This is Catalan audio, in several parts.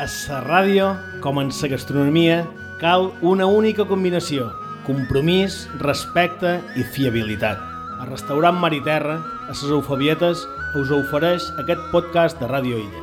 A la ràdio, com en la gastronomia, cal una única combinació: compromís, respecte i fiabilitat. El restaurant Mar i Terra, a les Eufebietes, us ofereix aquest podcast de Ràdio Illa.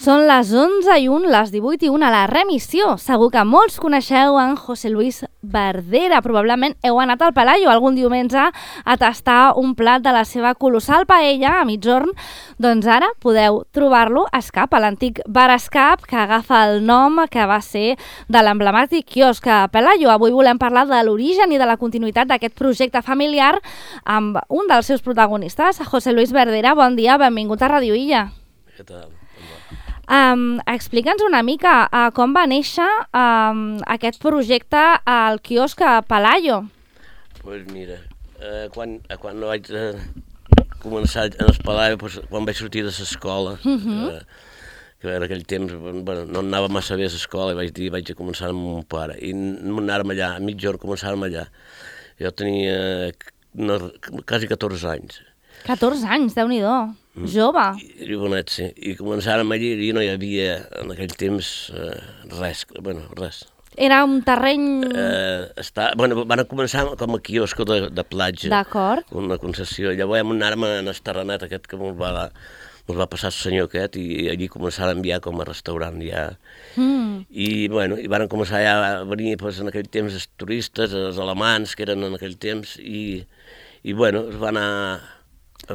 Són les 11:01, les 18:01 a la remissió. Segur que molts coneixeu en José Luis Verdera. Probablement heu anat al Pelayo algun diumenge a tastar un plat de la seva colossal paella a migjorn. Doncs ara podeu trobar-lo a Escap, a l'antic bar Escap, que agafa el nom que va ser de l'emblemàtic quiosc Pelayo. Avui volem parlar de l'origen i de la continuïtat d'aquest projecte familiar amb un dels seus protagonistes, José Luis Verdera. Bon dia, benvingut a Ràdio Illa. Què tal? Explica'ns una mica com va néixer aquest projecte al quiosc Pelayo. Doncs mira, quan vaig començar a Pelayo, quan vaig sortir de l'escola, que en aquell temps no anava massa bé a l'escola, i vaig dir vaig a començar amb mon pare, i anàrem allà, a mitjorn començàrem allà. Jo tenia quasi 14 anys. 14 anys, Déu-n'hi-do, jove. I bonet, sí. I començàrem allí i no hi havia en aquell temps res. Era un terreny... Van començar com a quiosco de platja. D'acord. Una concessió. Llavors anàrem en el terrenet aquest que ens va passar el senyor aquest, i allí començàrem ja com a restaurant ja. I van començar ja a venir en aquell temps els turistes, els alemans que eren en aquell temps, i es va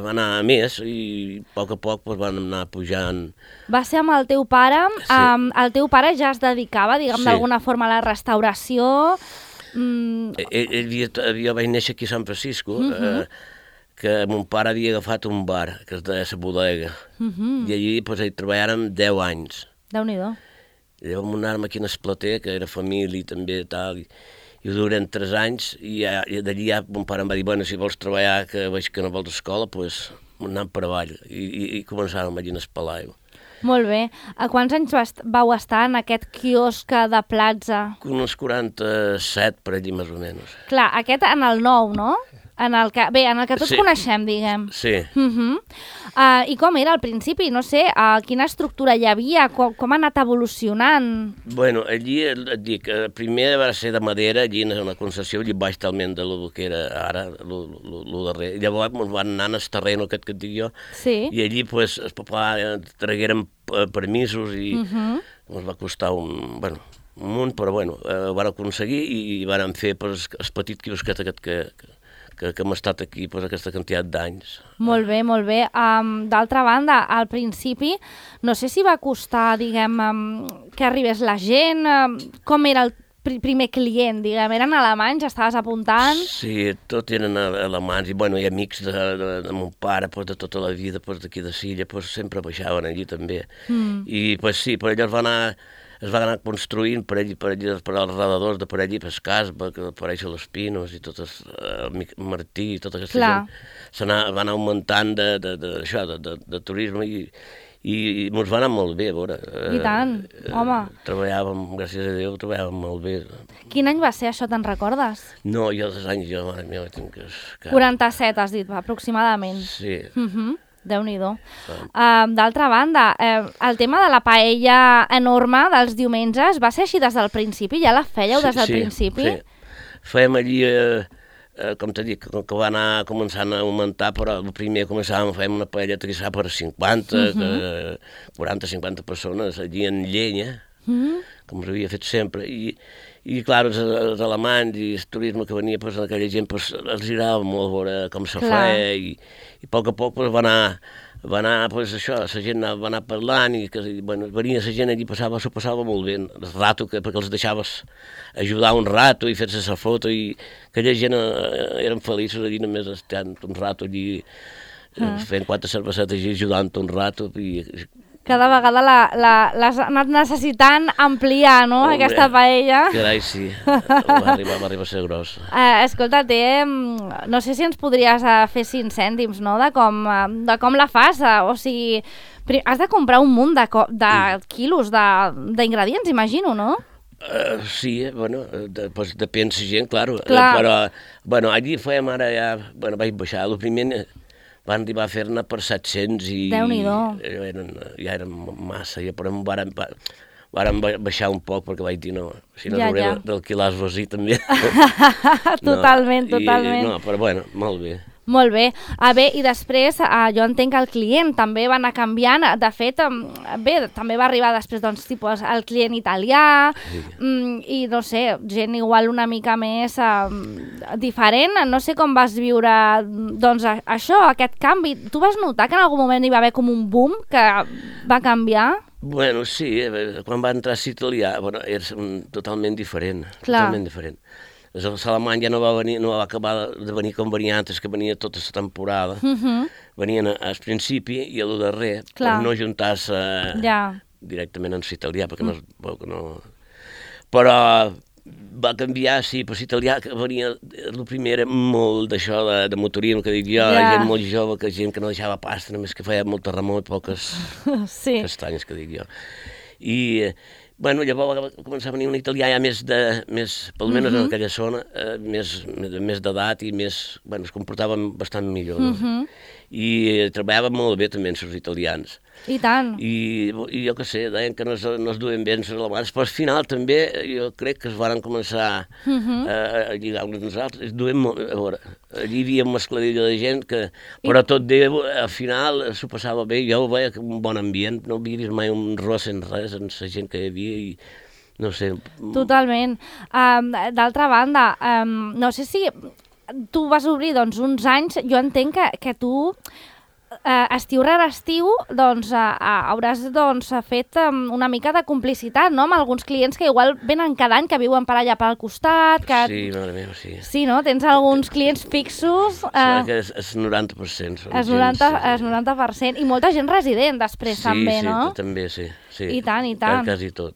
anar a més, i a poc van anar pujant. Va ser amb el teu pare. Sí. El teu pare ja es dedicava, diguem, d'alguna forma a la restauració. Jo vaig néixer aquí a Sant Francisco, que mon pare havia agafat un bar, que es deia La Bodega, i allí hi treballàrem 10 anys. Déu-n'hi-do. Llavors anàrem aquí en el plater, que era família també, tal, i ho durem 3 anys, i d'allí ja mon pare em va dir, bueno, si vols treballar, que veig que no vols escola, doncs anem per avall, i començàrem allí en el Pelayo. Molt bé. A quants anys vau estar en aquest quiosc de platja? Uns 47, per allí, més o menys. Clar, aquest en el nou, no? En el que tots coneixem, diguem. Sí. I com era al principi? No sé, quina estructura hi havia? Com ha anat evolucionant? Bueno, allí, et dic, primer va ser de madera, allí en una concessió, allí baix talment de lo que era ara, lo darrer. Llavors van anar al terreno aquest que et dic jo, i allí el papà traguérem permisos i ens va costar un munt, però ho van aconseguir i van fer el petit quiosquet aquest que hem estat aquí aquesta quantitat d'anys. Molt bé, molt bé. D'altra banda, al principi, no sé si va costar, diguem, que arribés la gent, com era el primer client, diguem, eren alemanys, estaves apuntant? Sí, tot eren alemanys, i amics de mon pare, de tota la vida, d'aquí de Silla, sempre baixaven allí també. I sí, per allò es va anar construint per allí, per als redadors de per allí, per Casba, que apareix a les Pinos, i tot el Martí, i tota aquesta gent. Va anar augmentant de turisme, i ens va anar molt bé, a veure. I tant, home. Treballàvem, gràcies a Déu, treballàvem molt bé. Quin any va ser això, te'n recordes? No, jo dels anys, mare meva, tinc que... 47, has dit, aproximadament. Sí. Déu-n'hi-do. D'altra banda, el tema de la paella enorme dels diumenges va ser així des del principi? Ja la fèieu des del principi? Sí. Fèiem allí, com t'he dit, que va anar començant a augmentar, però el primer començàvem, fèiem una paelleta que s'ha per 40-50 persones, allí en llenya, com s'havia fet sempre, i clar, els alemanys i el turisme que venia, aquella gent els agradava molt veure com se feia, i a poc va anar això, la gent va anar parlant, i venia la gent allí, s'ho passava molt bé, el rato, perquè els deixaves ajudar un rato i fer-se la foto, i aquella gent eren feliços allí, només estant un rato allí, fent 4 cervesetes allí, ajudant un rato, i... Cada vegada l'has anat necessitant ampliar, no?, aquesta paella. Carai, sí, va arribar a ser gros. Escolta, no sé si ens podries fer 5 cèntims, no?, de com la fas, o sigui, has de comprar un munt de quilos d'ingredients, imagino, no? Sí, depèn de la gent, clar. Però, allí fèiem ara ja, vaig baixar, el primer van arribar a fer-ne per 700 i ja eren massa, però vàrem baixar un poc perquè vaig dir no, si no hauré d'alquilar el Rosí també. Totalment. No, però bueno, molt bé. Molt bé. I després jo entenc que el client també va anar canviant. De fet, també va arribar després tipus el client italià i no sé, gent igual una mica més diferent. No sé com vas viure això, aquest canvi. Tu vas notar que en algun moment hi va haver com un boom que va canviar? Bueno, sí, quan va entrar l'italià, era totalment diferent. Totalment diferent. L'alemany ja no va acabar de venir com venia antes, que venia tota la temporada. Venien al principi i a lo darrer, per no juntar-se directament amb l'italià, perquè no... Però va canviar, sí, per l'italià, que venia, el primer era molt d'això de motorisme, que dic jo, gent molt jove, gent que no deixava pasta, només que feia molt terremot i poques castanyes, que dic jo. I... Bueno, llavors va començar a venir un italià ja més, almenys en aquella zona, més d'edat i més, es comportaven bastant millor. I treballaven molt bé també amb els italians. I tant. I jo què sé, deien que no es duen bé els alemans, però al final també jo crec que es van començar a lligar uns als altres. Es duen molt, a veure, allí hi havia un mescladillo de gent que, però tot bé, al final s'ho passava bé, jo ho veia un bon ambient, no havia vist mai un ros en res, en la gent que hi havia i no sé. Totalment. D'altra banda, no sé si tu vas obrir uns anys, jo entenc que tu estiu rere estiu hauràs fet una mica de complicitat, no?, amb alguns clients que igual venen cada any, que viuen per allà pel costat. Sí, mare meva, sí. Sí, no? Tens alguns clients fixos. Que és 90%. És 90%. I molta gent resident després també, no? Sí, també, sí. I tant. Quasi tot.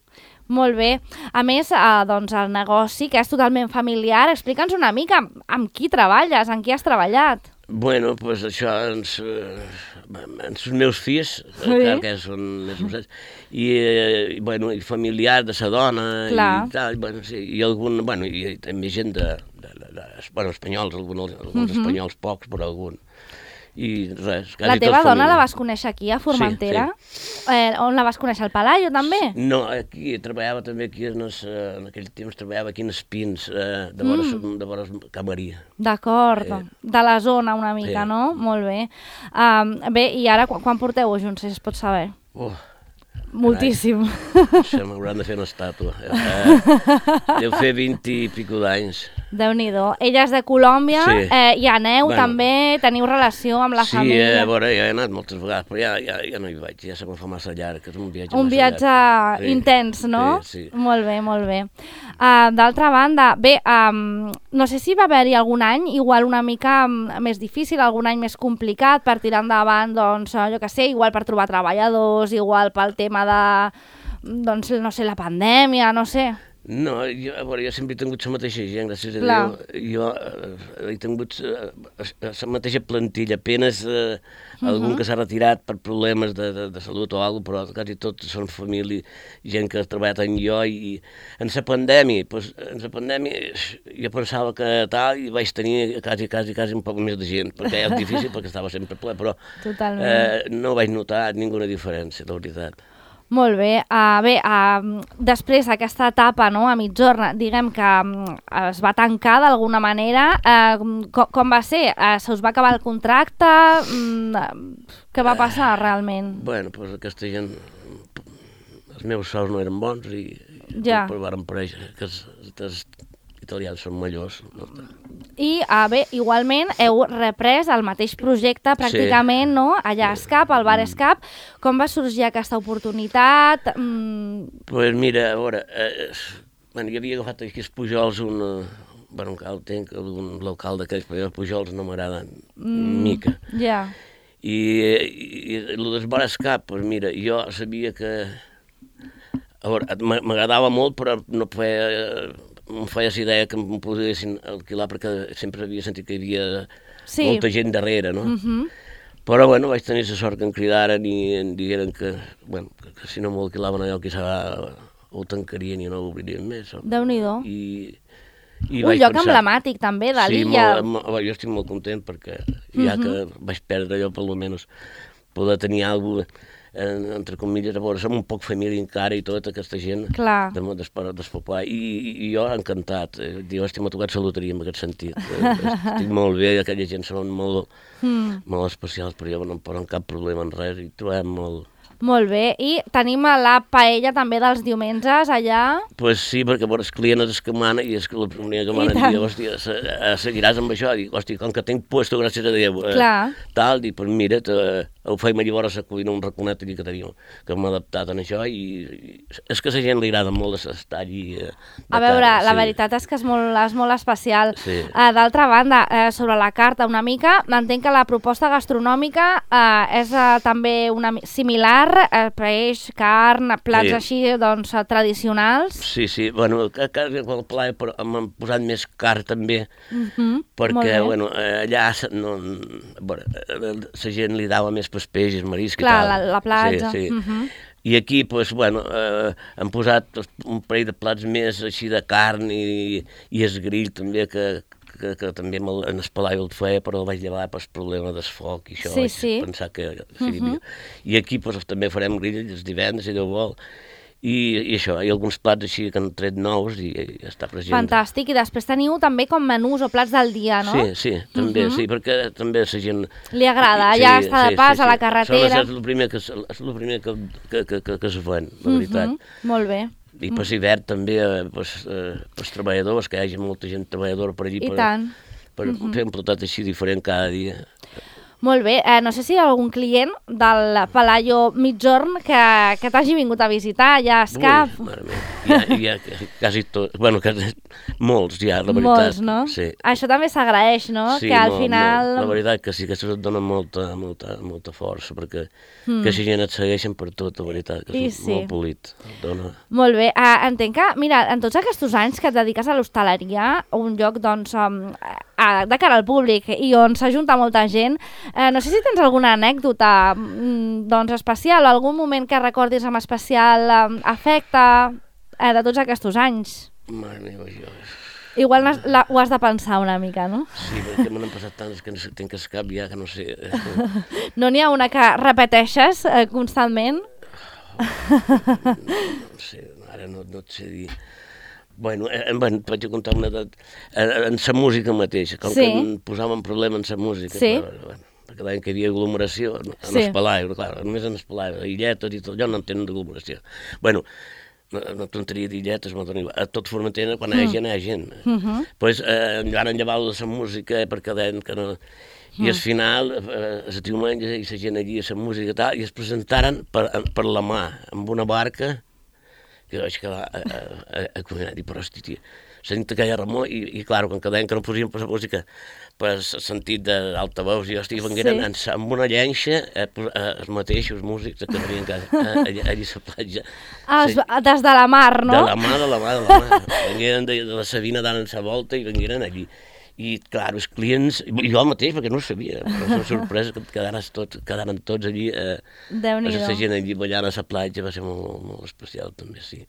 Molt bé. A més, el negoci, que és totalment familiar, explica'ns una mica amb qui treballes, amb qui has treballat. Bueno, doncs això, els meus fills, que són més grosses, i familiar de sa dona, i tal, i algun, i també gent espanyols, alguns espanyols pocs, però algun. I res, quasi la teva dona la vas conèixer aquí, a Formentera? Sí. On la vas conèixer, al Palaio, també? No, aquí, treballava també aquí, en aquell temps treballava aquí en Espins, de vora Camaria. D'acord, de la zona una mica, no? Molt bé. Bé, i ara quan porteu junts, si es pot saber? Moltíssim. Això m'hauran de fer una estàtua. Deu fer 20 i pico d'anys. Déu-n'hi-do. Ella és de Colòmbia, hi aneu també, teniu relació amb la família? Sí, a veure, ja he anat moltes vegades, però ja no hi vaig, ja se me'n fa massa llarg, és un viatge massa llarg. Un viatge intens, no? Sí. Molt bé. D'altra banda, bé, no sé si va haver-hi algun any igual una mica més difícil, algun any més complicat per tirar endavant, jo què sé, igual per trobar treballadors, igual pel tema de, no sé, la pandèmia, no sé. No, jo sempre he tingut la mateixa gent, gràcies a Déu. Jo he tingut la mateixa plantilla, apenas algun que s'ha retirat per problemes de salut o alguna cosa, però quasi tots són família, gent que ha treballat amb jo. I en la pandèmia, jo pensava que tal, i vaig tenir quasi un poc més de gent, perquè és difícil, perquè estava sempre ple, però no vaig notar ninguna diferència, la veritat. Molt bé. Després d'aquesta etapa, no, a mitjorn, diguem que es va tancar d'alguna manera, com va ser? Se us va acabar el contracte? Què va passar realment? Bueno, doncs aquesta gent, els meus sous no eren bons i varen parèixer que els italians són millors. I, igualment, heu reprès el mateix projecte pràcticament, no? Allà a Escap, al bar Escap. Com va sorgir aquesta oportunitat? Doncs mira, a veure, jo havia agafat aquí els Pujols un local d'aquells, però els Pujols no m'agraden mica. Ja. I el del bar Escap, doncs mira, jo sabia que... A veure, m'agradava molt, però no em feia la idea que em poguessin alquilar perquè sempre havia sentit que hi havia molta gent darrere, no? Però, vaig tenir la sort que em cridaren i em digueren que si no m'ho alquilaven allò, quizà ho tancarien i no ho obririen més. Déu-n'hi-do. Un lloc emblemàtic també de l'illa. Sí, jo estic molt content perquè ja que vaig perdre allò, per almenys poder tenir alguna cosa, entre comilles, a veure, som un poc família encara i tota aquesta gent del poble, i jo encantat, jo estic tocat la loteria en aquest sentit, estic molt bé, aquella gent són molt especials, però jo no em posen cap problema en res i trobem molt... Molt bé, i tenim la paella també dels diumenges allà? Pues sí, perquè els clients és que mana i és que la primera que mana diu, hòstia, seguiràs amb això? Dic, hòstia, com que tinc puesto, gràcies a Déu, tal, dic, pues mira, ho feim allà vora la cuina, un raconet allà que tenim, que m'ha adaptat en això, i és que a la gent li agrada molt estar allí. A veure, la veritat és que és molt especial. D'altra banda, sobre la carta una mica, entenc que la proposta gastronòmica és també similar, peix, carn, plats així, doncs, tradicionals. Sí, bueno, el pla m'han posat més carn també, perquè, bueno, allà la gent li dava més pels peixos, marisc i tal. Clar, la platja. Sí. I aquí, doncs, bueno, han posat un parell de plats més així de carn i el grill també, que també en el Palaio el feia, però el vaig llevar per el problema del foc i això, vaig pensar que seria millor. I aquí també farem grill els divendres, si Déu vol, i això, i alguns plats així que han tret nous i està present. Fantàstic, i després teniu també com menús o plats del dia, no? Sí, també, sí, perquè també la gent... Li agrada, ja està de pas a la carretera. És el primer que es ven, la veritat. Molt bé. I per l'hivern també pels treballadors, que hi hagi molta gent treballadora per allí per fer un platat així diferent cada dia. Molt bé, no sé si hi ha algun client del Palaio Migjorn que t'hagi vingut a visitar, ja és cap... Ui, mare meva, ja quasi tots, bueno, molts ja, la veritat. Molts, no? Sí. Això també s'agraeix, no? Sí, que al final... La veritat que sí, que això et dona molta força, perquè que si gent et segueixen per tot, la veritat, que és molt polit. Molt bé, entenc que, mira, en tots aquests anys que et dediques a l'hostaleria, un lloc, doncs, de cara al públic i on s'ajunta molta gent, no sé si tens alguna anècdota doncs, especial o algun moment que recordis amb especial afecte de tots aquests anys. Mare meva, jo... Igual ho has de pensar una mica, no? Sí, perquè me n'han passat tants que tinc el cap ja, que no sé... No n'hi ha una que repeteixes constantment? No sé, ara no et sé dir... Bueno, vaig contar una edat en la música mateixa, com que em posàvem problema en la música, perquè deien que hi havia aglomeració en el Palaio, clar, només en el Palaio, illetes i tot allò no en tenen d'aglomeració. Bueno, no tonteria d'illetes, a tot Formentera, quan hi ha gent. Doncs van enllevar la música perquè deien que no... I al final, el diumenge, i la gent allí, la música i tal, i es presentaren per la mà, amb una barca, que vaig quedar a cuinar, i però, hosti, tia, sent aquella remor, i clar, quan deien que no posien per la música, per sentit d'altaveus, i hosti, vengueren amb una llenxa, els mateixos músics que venien allà a la platja. Des de la mar, no? De la mar. Vengueren de la Sabina dant la volta i vengueren allí. I, clar, els clients, i jo mateix, perquè no ho sabia, però la sorpresa que quedaren tots allí, la gent allí ballant a la platja, va ser molt especial, també, sí.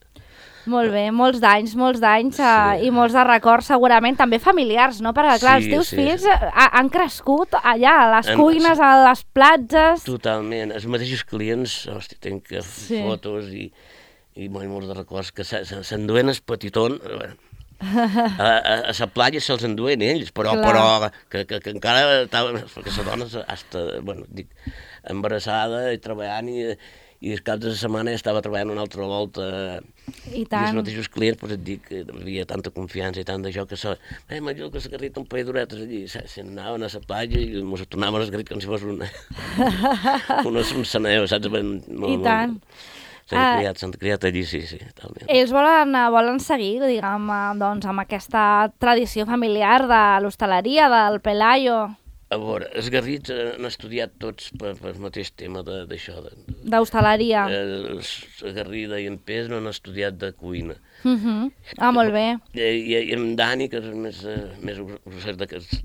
Molt bé, molts d'anys i molts de records segurament, també familiars, no? Perquè, clar, els teus fills han crescut allà, a les cuines, a les platges... Totalment, els mateixos clients, hosti, tenc fotos i molts de records que s'enduen el petitón... A la platja se'ls enduen ells, però que encara estaven, perquè la dona està embarassada i treballant i el cap de la setmana ja estava treballant una altra volta i els mateixos clients, doncs et dic que hi havia tanta confiança i tant d'això que m'ajuda que s'agarrita un parell d'horetes allí, s'anaven a la platja i ens tornaven a esgarrit com si fos un saneu, saps? I tant. S'han criat allí, sí, talment. Ells volen seguir, diguem, doncs, amb aquesta tradició familiar de l'hostaleria, del Palaio. A veure, els garrits han estudiat tots pel mateix tema d'això. D'hostaleria. La Garrida i en Pes no han estudiat de cuina. Molt bé. I en Dani, que és més grosser d'aquests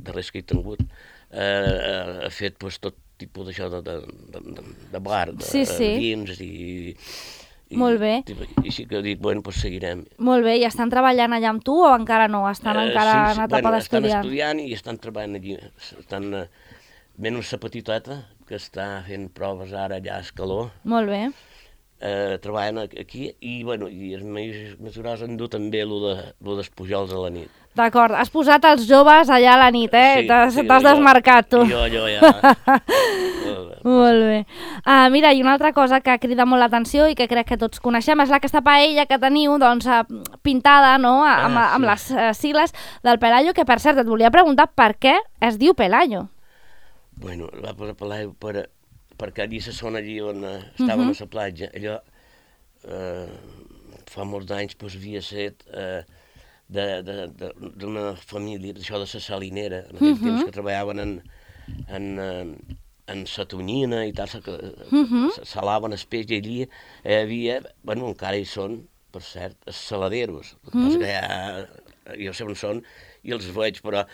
darrers que he tingut, ha fet tot tipus d'això de bar, de vins Molt bé. I sí que dic, bueno, doncs seguirem. Molt bé, i estan treballant allà amb tu o encara no? Estan encara en etapa d'estudiant? Estan estudiant i estan treballant allí. Menys la petiteta, que està fent proves ara allà a Escaló. Molt bé. Treballen aquí i els més grossos han dut també el dels pujols a la nit. D'acord, has posat els joves allà a la nit, eh? Sí, T'has desmarcat, tu. Jo ja. Molt bé. Mira, i una altra cosa que crida molt l'atenció i que crec que tots coneixem és aquesta paella que teniu doncs, pintada, no?, amb les sigles del Pelayo, que per cert et volia preguntar per què es diu Pelayo. Bueno, va posar Pelayo perquè allí se sona allí on estàvem a la platja. Allò fa molts anys havia set d'una família, d'això de la salinera, en aquell temps que treballaven en la tonyina i tal, salaven el peix, i allí hi havia, bueno, encara hi són, per cert, els saladeros, que jo sé on són i els veig, però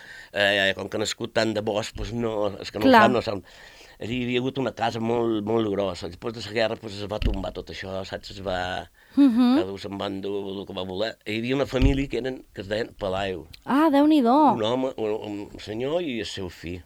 com que han nascut tant de bosc, doncs no, els que no ho fan no saben. Allí hi havia hagut una casa molt, molt grossa. Després de la guerra es va tombar tot això, saps? Es va... Cada un se'n va endur el que va voler. Hi havia una família que es deien Pelayo. Ah, Déu-n'hi-do. Un home, un senyor i el seu fill.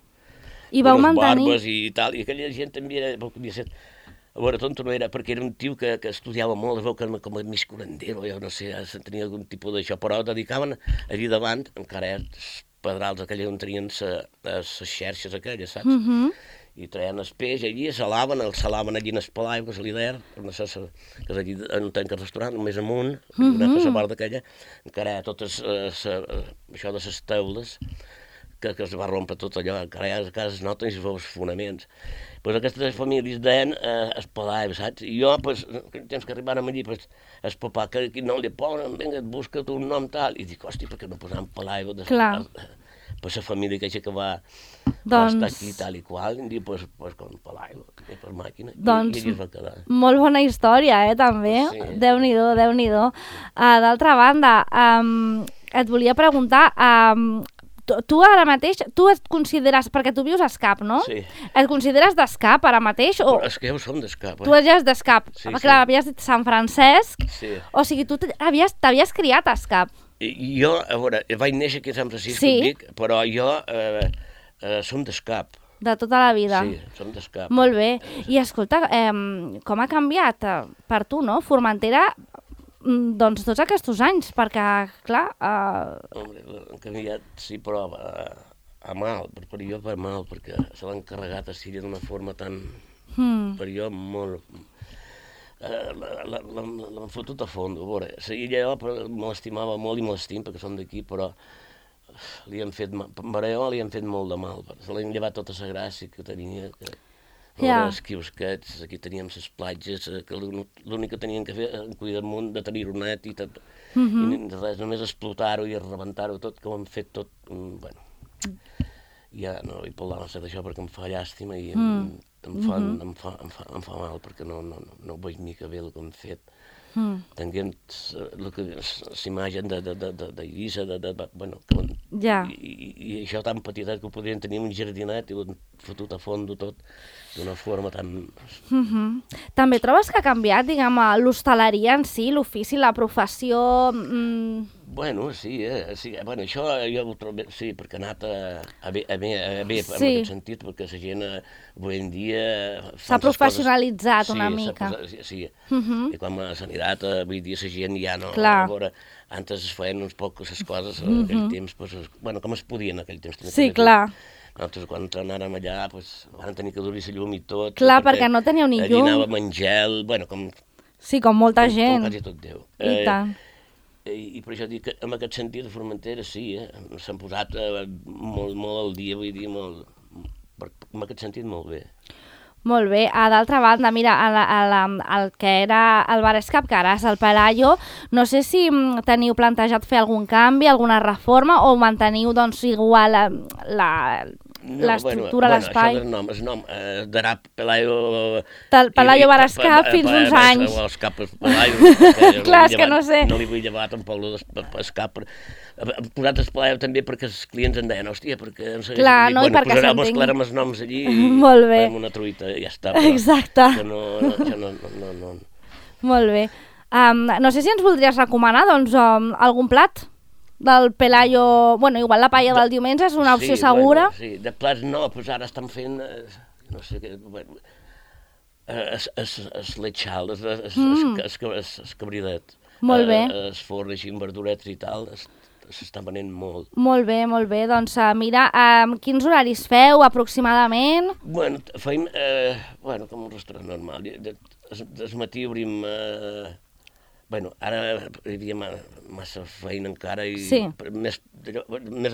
I vau mantenir... Barbes i tal. I aquella gent també era... A veure, tonto no era, perquè era un tio que estudiava molt, es veu que com a mig curandero, jo no sé, tenia algun tipus d'això, però dedicaven allí davant, encara els pedrals aquells on tenien les xerxes aquelles, saps? I traien el peix allí, el salaven allí en el Pelayo, que és l'Ider, que és allí en un tanc restaurant, més amunt, una la part d'aquella, encara totes això de les teules, que es va rompre tot allò, encara a casa es noten i es veuen els fonaments. Doncs aquestes famílies deien el Pelayo, saps? I jo, aquell temps que arribàrem allí, el papà, que no li posen, vinga, busca't un nom tal, i dic, hòstia, per què no posam Pelayo? Clar. Per la família que va estar aquí tal i qual, i diu, pues com Pelayo, per màquina, i allí es va quedar. Molt bona història, també. Sí. Déu-n'hi-do, Déu-n'hi-do. D'altra banda, et volia preguntar, tu ara mateix, tu et consideres, perquè tu vius a Escap, no? Sí. Et consideres d'Escap ara mateix? Però és que ja ho som d'Escap. Tu ja és d'Escap. Sí, clar, havies dit Sant Francesc, o sigui, tu t'havies criat a Escap. Jo, a veure, vaig néixer aquí a Sant Francisco, dic, però jo som d'Escap. De tota la vida. Sí, som d'Escap. Molt bé. I escolta, com ha canviat per tu, no? Formentera, doncs tots aquests anys, perquè, clar... Home, han canviat, sí, però a mal, per jo per mal, perquè se l'han carregat a Síria d'una forma tan... Per jo molt... L'han fotut a fondo, a veure, jo me l'estimava molt i me l'estim perquè som d'aquí, però li han fet mal, li han fet molt de mal, se l'han llevat tota la gràcia que tenia, els quiosquets, aquí teníem les platges, que l'únic que tenien que fer era cuidar damunt de tenir-ho net i tot, i res, només explotar-ho i rebentar-ho tot, que ho han fet tot, bueno, ja no vull parlar massa d'això perquè em fa llàstima i em fa mal perquè no veig mica bé el que hem fet. Tenint l'imatge d'Eivissa, i això tan petitet que ho podrien tenir un jardinet i ho han fotut a fondo tot d'una forma tan... També trobes que ha canviat, diguem, l'hostaleria en si, l'ofici, la professió... Bueno, sí, bueno, això jo ho trobo, sí, perquè ha anat a bé en aquest sentit, perquè la gent avui en dia... S'ha professionalitzat una mica. Sí, i com a sanitat, avui dia la gent ja no... Clar. Antes es feien uns pocs les coses, en aquell temps, bueno, com es podia en aquell temps. Sí, clar. Nosaltres quan anàrem allà van tenir que dur-hi la llum i tot. Clar, perquè no teníeu ni llum. Allí anàvem en gel, bueno, com... Sí, com molta gent. Com quasi tot Déu. I tant. I per això dic que en aquest sentit de Formentera sí, s'han posat molt al dia, vull dir, en aquest sentit molt bé. Molt bé. D'altra banda, mira, el que era el Bar Escap, que ara és el Pelayo, no sé si teniu plantejat fer algun canvi, alguna reforma, o manteniu doncs igual l'estructura, l'espai? No, això del nom, darà Pelayo... Pelayo Bar Escap fins uns anys. Escap Pelayo. Clar, és que no sé. No li vull llevar tampoc l'Escap. Hem posat el Pelayo també perquè els clients en deien, hòstia, perquè... Clar, no, i perquè s'entengui. Posarem els noms allí i farem una truita i ja està. Exacte. No. Molt bé. No sé si ens voldries recomanar doncs, algun plat del Pelayo. Bueno, igual la paella del diumenge és una opció segura. Bueno, sí, de plats no, doncs ara estan fent, no sé què, bueno, es lechal, es cabridet. Molt bé. Es forn així amb verduretes i tal, s'està venent molt. Molt bé, doncs mira, quins horaris feu aproximadament? Bueno, feim, com un restaurant normal. Des matí obrim, ara hi havia massa feina encara i més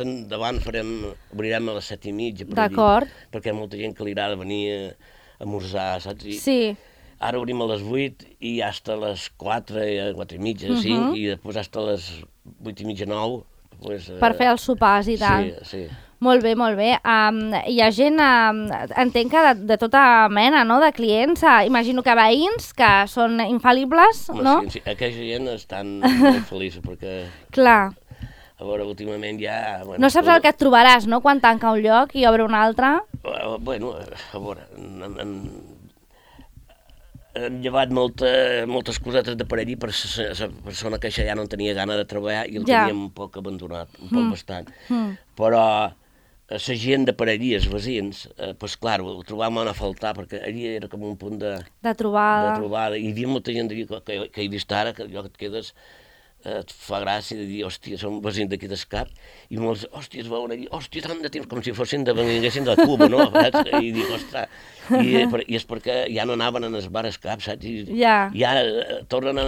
endavant obrirem a les 7:30 per allí, perquè hi ha molta gent que li agrada venir a esmorzar, saps? Sí. Ara obrim a les 8 i hasta les 4, 4:30, 5, i després hasta les 8:30, 9. Per fer els sopars i tal. Sí. Molt bé. Hi ha gent, entenc que de tota mena, no?, de clients, imagino que veïns, que són infal·libles, no? Sí, aquella gent estan molt feliços, perquè... Clar. A veure, últimament ja... No saps el que et trobaràs, no?, quan tanca un lloc i obre un altre. Bueno, a veure... Hem llevat moltes cosetes de per allí per la persona que ja no en tenia gana de treballar i el teníem un poc abandonat, un poc bastant. Però la gent de per allí, els veïns, doncs clar, ho trobàvem a faltar, perquè allí era com un punt de trobada. I hi havia molta gent que he vist ara, que allò que et quedes, et fa gràcia de dir, hòstia, som veïns d'aquí d'Escap, i molts, hòstia, es veuen allí, hòstia, tant de temps, com si vinguessin de Cuba, no? I dic, ostres, i és perquè ja no anaven en el bar Escap, saps? I ara tornen a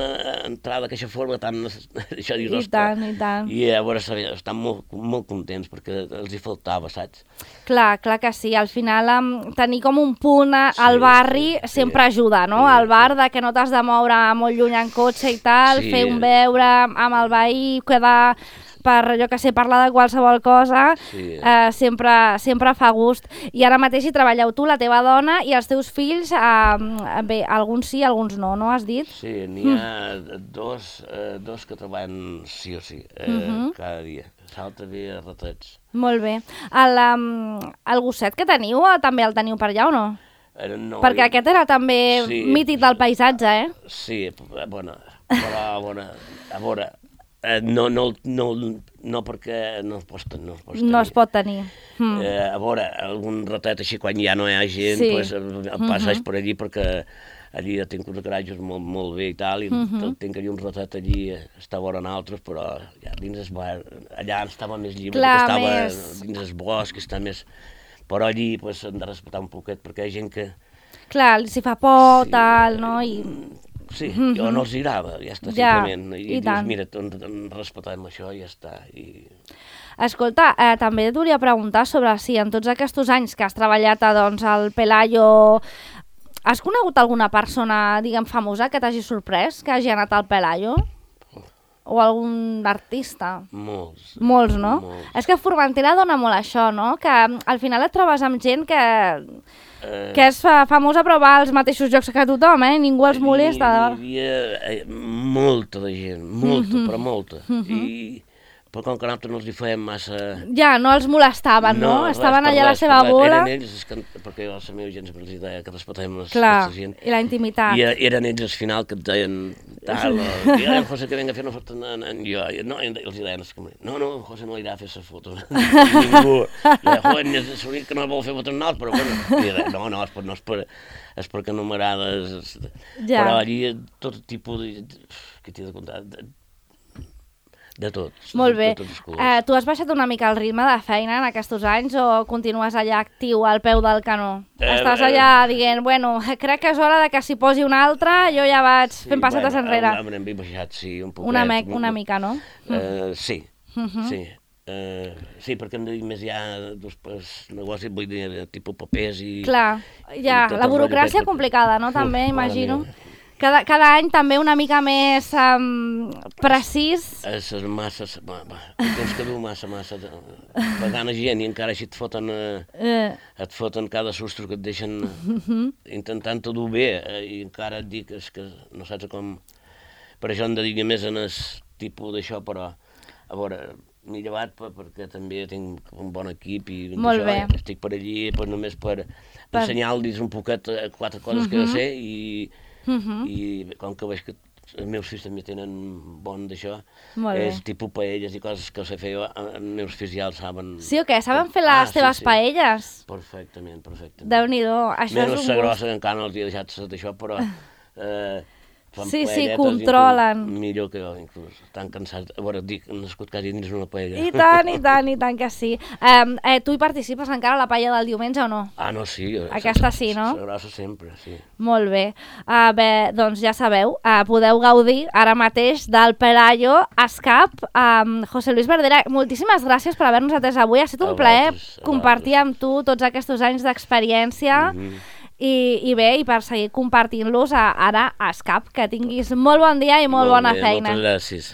entrar d'aquesta forma tan... I tant. I a veure, estan molt contents, perquè els hi faltava, saps? Clar que sí, al final tenir com un punt al barri sempre ajuda, no? Al bar de que no t'has de moure molt lluny en cotxe i tal, fer un beure amb el veí, quedar per, jo que sé, parlar de qualsevol cosa, sempre fa gust. I ara mateix hi treballeu tu, la teva dona i els teus fills, bé, alguns sí, alguns no, no has dit? Sí, n'hi ha dos que treballen sí o sí, cada dia. L'altre dia ratets. Molt bé. El gosset que teniu, també el teniu per allà o no? No. Perquè aquest era també mític del paisatge, eh? Sí, bueno, però a veure, no perquè no es pot tenir. No es pot tenir. A veure, algun ratet així, quan ja no hi ha gent, el passeig per allí, perquè allí tinc uns garatges molt bé i tal, i tinc allí un ratet allí, està vora en altres, però ja dins el bar, allà estava més lliure, estava dins el bosc, està més... Però allí hem de respectar un poquet, perquè hi ha gent que... Clar, si fa por, tal, no? Sí, jo no els agrada, ja està, simplement. I dius, mira, respectem això i ja està. Escolta, també et volia preguntar sobre si en tots aquests anys que has treballat al Pelayo, has conegut alguna persona, diguem, famosa que t'hagi sorprès, que hagi anat al Pelayo? O algun artista? Molts, no? Molts. És que Formentera dona molt això, no? Que al final et trobes amb gent que és famosa però va als mateixos llocs que tothom, ningú els molesta. Hi havia molta de gent, però molta. Però com que nosaltres no els hi fèiem massa... Ja, no els molestaven, no? Estaven allà a la seva bola. Eren ells, perquè la meva gent sempre els deia que respectem aquesta gent. Clar, i la intimitat. I eren ells al final que et deien tal, i el José que venga a fer una foto en jo. No, els deien, no, José no irà a fer la foto. Ningú. Joder, és l'únic que no vol fer fotos amb nosaltres, però bueno. No, és perquè no m'agrada. Però allí tot tipus de... Què t'he de contar? De tots. Molt bé. Tu has baixat una mica el ritme de feina en aquests anys o continues allà actiu al peu del canó? Estàs allà dient, bueno, crec que és hora de que s'hi posi un altre, jo ja vaig fent passetes enrere. Hem baixat, sí, un poquet. Una mica, no? Sí. Sí, perquè hem de dir més ja negocis, vull dir, tipus papers i... Clar, ja, la burocràcia complicada, no? També, imagino. Cada any també una mica més precís. És massa... Tens que dur massa. Pagant a gent i encara així et foten cada sostre que et deixen intentant-ho dur bé i encara et dic que no saps com... Per això hem de dir més en el tipus d'això, però a veure, m'he llevat perquè també tinc un bon equip i estic per allí només per ensenyar-los un poquet 4 coses que jo sé i com que veig que els meus fills també tenen bon d'això. Molt bé. És tipus paelles i coses que ho sé fer jo, els meus fills ja el saben. Sí o què? Saben fer les teves paelles? Perfectament. Déu-n'hi-do, això és un gust. gust. Menys la grossa, que encara no els he deixat d'això, però fan sí, controlen. Millor que jo, inclús. Estan cansats. A veure, dic, han nascut quasi dins una paella. I tant que sí. Tu hi participes encara a la paella del diumenge o no? Ah, no, sí. Aquesta sí, no? La grossa sempre, sí. Molt bé. Bé, doncs ja sabeu, podeu gaudir ara mateix del Pelayo Escap. José Luis Verdera, moltíssimes gràcies per haver-nos atès avui. Ha estat un plaer compartir amb tu tots aquests anys d'experiència. I bé, i per seguir compartint-los ara a Escap. Que tinguis molt bon dia i molt bona feina. Moltes gràcies.